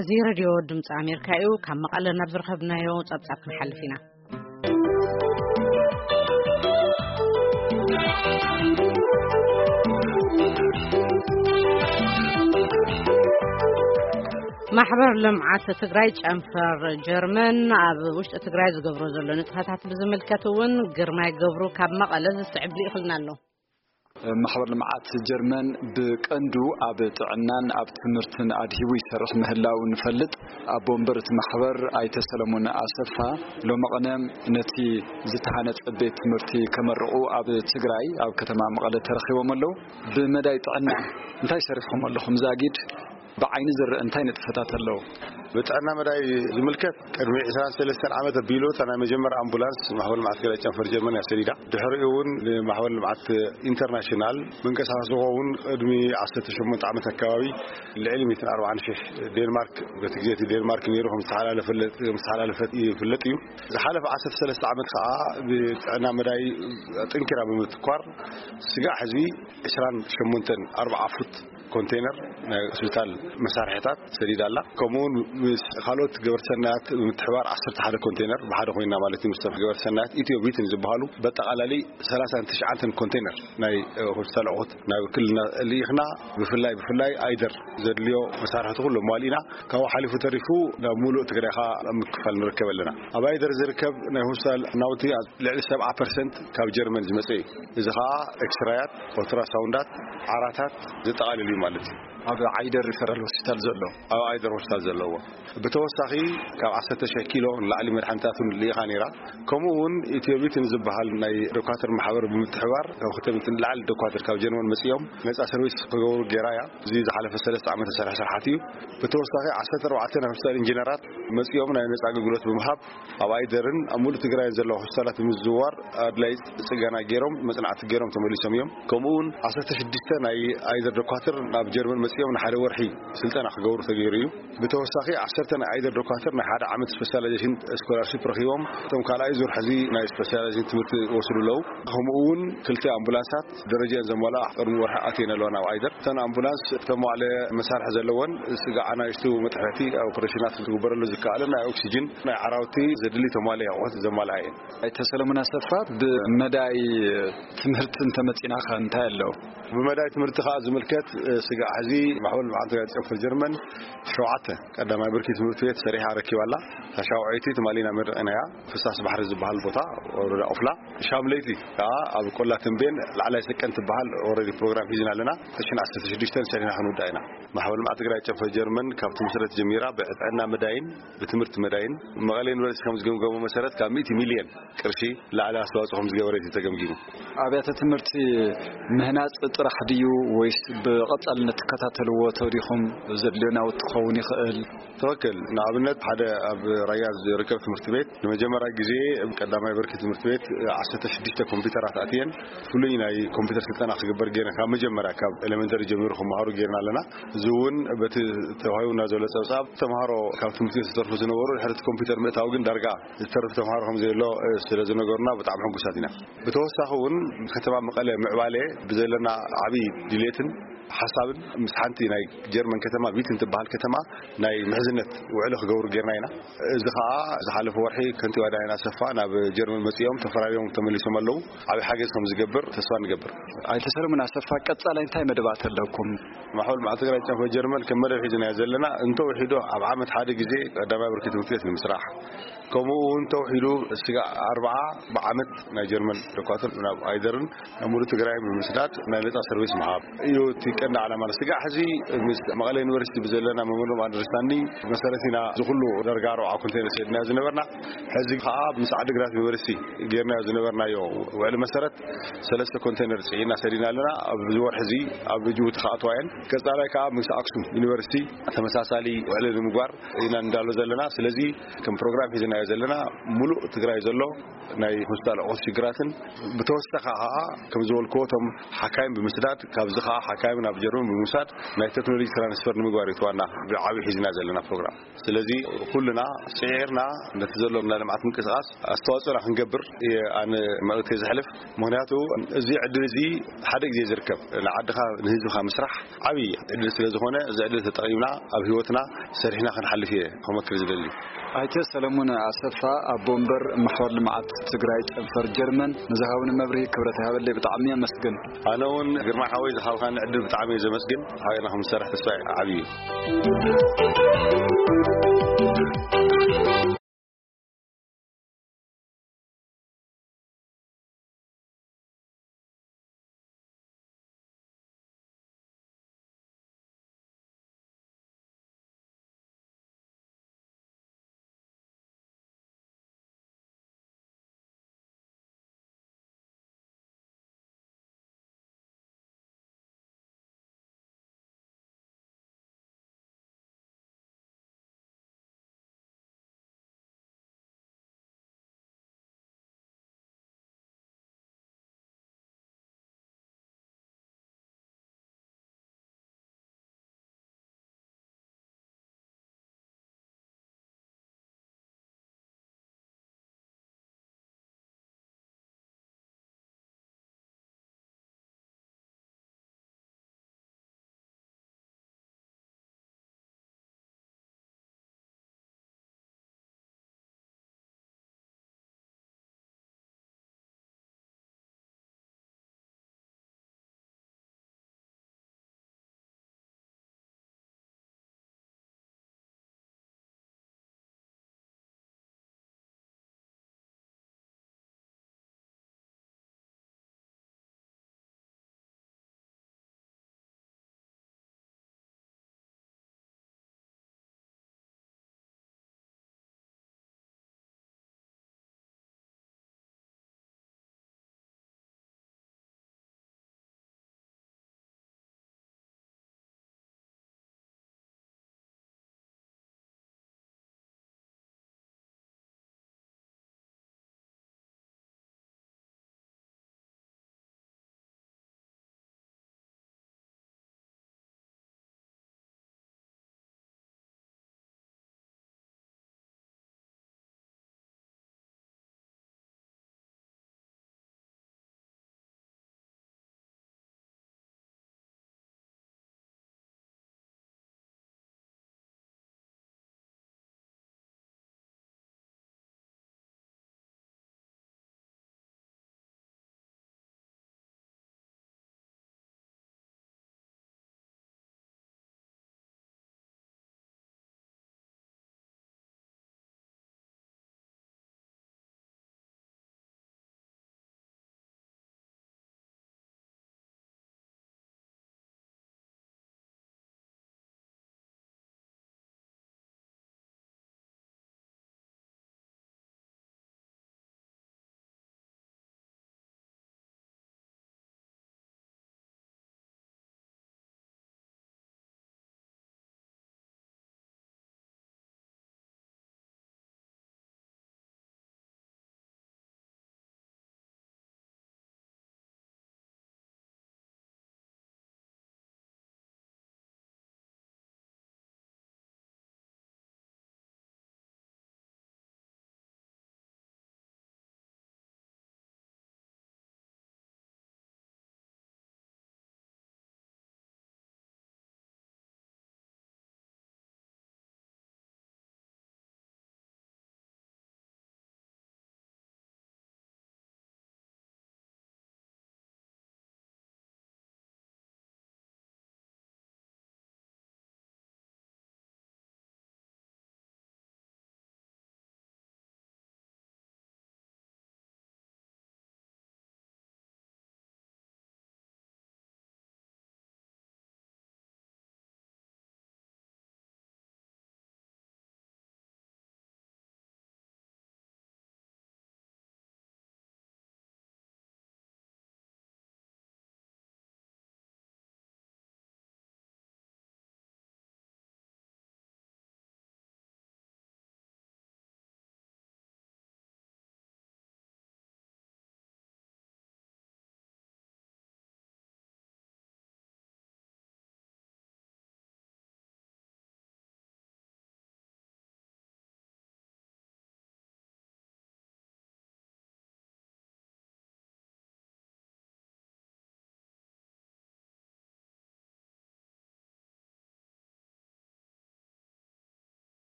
እዚ ሬድዮ ድምፂ ኣሜሪካ እዩ። ካብ መቐለ ናብ ዝረኸብናዮ ጸብጻብ ክንሓልፍ ኢና። ማሕበር ልምዓት ትግራይ ጨንፈር ጀርመን ኣብ ውሽጢ ትግራይ ዝገብሮ ዘሎ ንጥፈታት ብዝምልከት እውን ግርማይ ገብሩ ካብ መቐለ ዝስዕብ ልኢኽልና ኣሎ። ማሕበር ልምዓት ጀርመን ብቀንዱ ኣብ ጥዕናን ኣብ ትምህርትን ኣድሂቡ ይሰርሕ ምህላው ንፈልጥ። ኣቦ ወንበር እቲ ማሕበር ኣይተ ሰለሙን ኣሰፋ ሎመቐነ ነቲ ዝተሃነፀ ቤት ትምህርቲ ከመርቑ ኣብ ትግራይ ኣብ ከተማ መቐለ ተረኺቦም ኣለዉ። ብመዳይ ጥዕና እንታይ ሰሪሕኩም ኣለኹም? ዛጊድ ብዓይኒ ዝረአ እንታይ ንጥፈታት ኣለዉ? ብጥዕና መዳይ ዝምልከት ቅድሚ ዕስራን ሰለስተን ዓመት ኣቢሉ እታ ናይ መጀመርያ ኣምቡላንስ ማሕበር ልምዓት ትግራይ ጨንፈር ጀርመን እያ ሰዲዳ። ድሕሪኡ እውን ንማሕበር ልምዓት ኢንተርናሽናል መንቀሳቐሲ ዝኸውን ቅድሚ ዓሰርተ ሸሞንተ ዓመት ኣካባቢ ልዕሊ ሚእትን ኣርባዓን ሽሕ ዴንማርክ፣ በቲ ግዜ እቲ ዴንማርክ ነይሩ ከም ዝተሓላለፈ፣ ከም ዝተሓላለፈት ይፍለጥ እዩ። ዝሓለፈ ዓሰርተ ሰለስተ ዓመት ከዓ ብጥዕና መዳይ ኣጠንኪራ ብምትኳር ስጋዕ ሕዚ ዕስራን ሸሞንተን ኣርብዓ ፉት ኮንቴነር ናይ ሆስፒታል መሳርሕታት ሰዲዳ ኣላ። ከምኡውን ምስ ካልኦት ገበርቲ ሰናያት ብምትሕባር ዓሰርተ ሓደ ኮንቴነር ብሓደ ኮይና ማለት እዩ። ምስቶም ገበርቲ ሰናያት ኢትዮ ቪትን ዝበሃሉ በጠቓላሊ ሰላሳን ትሽዓተን ኮንቴነር ናይ ሆስፒታል ኣቑሑት ናብ ክልልና ልኢኽና። ብፍላይ ብፍላይ ኣይደር ዘድልዮ መሳርሕቲ ኩሉ ኣሟሊእና ካብኡ ሓሊፉ ተሪፉ ናብ ሙሉእ ትግራይ ከዓ ምክፋል ንርከብ ኣለና። ኣብ ኣይደር ዝርከብ ናይ ሆስፒታል ናውቲ ልዕሊ ሰብዓ ፐርሰንት ካብ ጀርመን ዝመፀ እዩ። እዚ ከዓ ኤክስራያት፣ ኦልትራሳውንዳት፣ ዓራታት ዘጠቓልል እዩ ማለት እዩ። ኣብ ዓይደር ሪፈራል ሆስፒታል ዘሎ ኣብ ኣይደር ሆስፒታል ዘለዎ ብተወሳኺ ካብ ዓሰርተ ሺሕ ኪሎ ንላዕሊ መድሓኒታት እውን ልኢኻ ነይራ። ከምኡ እውን ኢትዮቢትን ዝበሃል ናይ ዶኳትር ማሕበር ብምትሕባር ካብ ክተምት ንላዕሊ ዶኳትር ካብ ጀርመን መፅኦም ነፃ ሰርቪስ ክገብሩ ገይራ እያ። እዚ ዝሓለፈ ሰለስተ ዓመት ዝሰርሐ ስራሓት እዩ። ብተወሳኺ ዓሰርተ ኣርባዕተ ናይ ሆስፒታል ኢንጂነራት መፅኦም ናይ ነፃ ኣገልግሎት ብምሃብ ኣብ ኣይደርን ኣብ ሙሉእ ትግራይ ዘለዋ ሆስፒታላት ብምዝውዋር ኣድላይ ፅገና ገይሮም መፅናዕቲ ገይሮም ተመሊሶም እዮም። ከምኡ እውን ዓሰርተ ሽዱሽተ ናይ ኣይደር ዶኳትር ናብ ጀርመን መፅኦም ንሓደ ወርሒ ስልጠና ክገብሩ ተገይሩ እዩ። ብተወሳኺ ዓሰርተ ናይ ኣይደር ዶኳትር ናይ ሓደ ዓመት ስፔሻላይዜሽን ስኮላርሺፕ ረኺቦም እቶም ካልኣይ ዙር ሕዚ ናይ ስፔሻላይዜሽን ትምህርቲ ይወስዱ ኣለዉ። ከምኡ እውን ክልተ ኣምቡላንሳት ደረጃን ዘመላ ቅድሚ ወርሒ ኣትየን ኣለዋ ናብ ኣይደር። እተን ኣምቡላንስ እተን መዋዕለ መሳርሒ ዘለወን ስጋ ኣናይሽቱ መጥሕቲ ኦፕሬሽናት ዝግበረሉ ዝከኣለ ናይ ኦክሲጅን ናይ ዓራውቲ ዘድሊ ተማሊ ኣቑሑት ዘማልኣ እየን። ኣይተ ሰለሙን ኣሰፋ ብመዳይ ትምህርቲ እንተመፂናኸ እንታይ ኣለዉ? ብመዳይ ትምህርቲ ከዓ ዝምልከት ስጋ ሕዚ ማሕበር ልምዓት ትግራይ ጨንፈር ጀርመን ሸውዓተ ቀዳማይ ብርኪ ትምህርቲ ቤት ሰሪሓ ረኪባ ኣላ። እታ ሻውዐይቲ ትማሊ ኢና መሪቕናያ። ፍሳስ ባሕሪ ዝበሃል ቦታ ወረዳ ኦፍላ ሻምለይቲ ከዓ ኣብ ቆላ ተንቤን ላዕላይ ሰቀን ትበሃል ኦረዲ ፕሮግራም ሒዝና ኣለና። ተሽን ዓሰርተ ሽዱሽተ ሰሪሕና ክንውዳ ኢና። ማሕበር ልምዓት ትግራይ ጨንፈር ጀርመን ካብ ትምስረት ጀሚራ ብጥዕና መዳይን ብትምህርቲ መዳይን መቐለ ዩኒቨርሲቲ ከም ዝገምገሞ መሰረት ካብ ሚእቲ ሚልዮን ቅርሺ ላዕሊ ኣስተዋፅኦ ከም ዝገበረት እዩ ተገምጊሙ። ኣብያተ ትምህርቲ ምህናፅ ጥራሕ ድዩ ወይስ ብቐፃልነት ትከታተልዎ ተሪኹም ዘድልዮ ናውቲ ክኸውን ይኽእል? ትኽክል። ንኣብነት ሓደ ኣብ ራያ ዝርከብ ትምህርቲ ቤት ንመጀመርያ ግዜ ቀዳማይ ብርኪ ትምህርቲ ቤት ዓሰርተ ሽዱሽተ ኮምፒውተራት ኣትየን ፍሉይ ናይ ኮምፒውተር ስልጠና ክግበር ገይርና ካብ መጀመርያ ካብ ኤሌመንተሪ ጀሚሩ ክመሃሩ ገይርና ኣለና። እዚ እውን በቲ ተዋሂቡና ዘሎ ፀብፃብ ተምሃሮ ካብ ትምህርቲ ዝተርፉ ዝነበሩ ድሕሪ እቲ ኮምፒውተር ምእታው ግን ዳርጋ ዝተርፍ ተምሃሮ ከም ዘየሎ ስለ ዝነገሩና ብጣዕሚ ሕጉሳት ኢና። ብተወሳኺ እውን ከተማ መቐለ ምዕባለ ብዘለና ዓብዪ ድሌትን ሓሳብን ምስ ሓንቲ ናይ ጀርመን ከተማ ቪትን ትበሃል ከተማ ናይ ምሕዝነት ውዕሊ ክገብሩ ጌርና ኢና። እዚ ከዓ ዝሓለፈ ወርሒ ከንቲባ ዳይና ሰፋ ናብ ጀርመን መፂኦም ተፈራሪሞም ተመሊሶም ኣለዉ። ዓብዪ ሓገዝ ከም ዝገብር ተስፋ ንገብር። ኣይተ ሰለሙን ኣሰፋ ቀፃላይ እንታይ መደባት ኣለኩም? ማሕበር ልምዓት ትግራይ ጨንፈር ጀርመን ከም መደብ ሒዝናዮ ዘለና እንተውሒዱ ኣብ ዓመት ሓደ ግዜ ቀዳማይ ብርኪ ትምህርቲ ቤት ንምስራሕ ከምኡ እውን ተውሒዱ ስጋ ኣርባዓ ብዓመት ናይ ጀርመን ዶኳትር ናብ ኣይደርን ናብ ሙሉእ ትግራይ ብምስዳድ ናይ ነፃ ሰርቪስ ምሃብ እዩ እቲ ቀንዲ ዓላማ። ስጋ ሕዚ ምስ መቐለ ዩኒቨርሲቲ ብዘለና መሞንዶም ኣንደርስታንዲንግ መሰረት ኢና ዝኩሉ ደርጋ ኣርባዓ ኮንቴነር ሰድና ዝነበርና። ሕዚ ከዓ ምስ ዓድግራት ዩኒቨርሲቲ ጌርናዮ ዝነበርናዮ ውዕሊ መሰረት ሰለስተ ኮንቴነር ፅዒና ሰዲና ኣለና። ኣብዚ ወርሒ እዚ ኣብ ጅቡቲ ክኣትዋ እየን። ቀፃላይ ከዓ ምስ ኣክሱም ዩኒቨርሲቲ ተመሳሳሊ ውዕሊ ንምግባር ኢና እንዳሎ ዘለና። ስለዚ ከም ፕሮግራም ሒዝና ዘለና። ሙሉእ ትግራይ ዘሎ ናይ ሆስፒታል ኣቑሑት ሽግራትን ብተወሳኺ ከዓ ከም ዝበልክዎ እቶም ሓካይም ብምስዳድ ካብዚ ከዓ ሓካይም ናብ ጀርመን ብምውሳድ ናይ ቴክኖሎጂ ትራንስፈር ንምግባር እዩ ዋና ብዓብዪ ሒዝና ዘለና ፕሮግራም። ስለዚ ኩልና ስዒርና ነቲ ዘሎ ናይ ልምዓት ምንቅስቃስ ኣስተዋፅኦና ክንገብር እየ ኣነ መልእክተይ ዘሕልፍ። ምክንያቱ እዚ ዕድል እዚ ሓደ ግዜ ዝርከብ ንዓድኻ ንህዝብኻ ምስራሕ ዓብዪ ዕድል ስለ ዝኾነ እዚ ዕድል ተጠቂምና ኣብ ህይወትና ሰሪሕና ክንሓልፍ እየ ክመክር ዝደሊ። ኣይተ ሰለሙን ኣሰፋ ኣቦ ወንበር ማሕበር ልምዓት ትግራይ ጨንፈር ጀርመን ንዝሃብኒ መብርሂ ክብረት ይሃበለይ ብጣዕሚ ኣመስግን። ኣነ እውን ግርማ ሓወይ ዝሃብካኒ ዕድል ብጣዕሚ እየ ዘመስግን። ሓቢርና ክንሰርሕ ተስፋ ዓብዪ እዩ።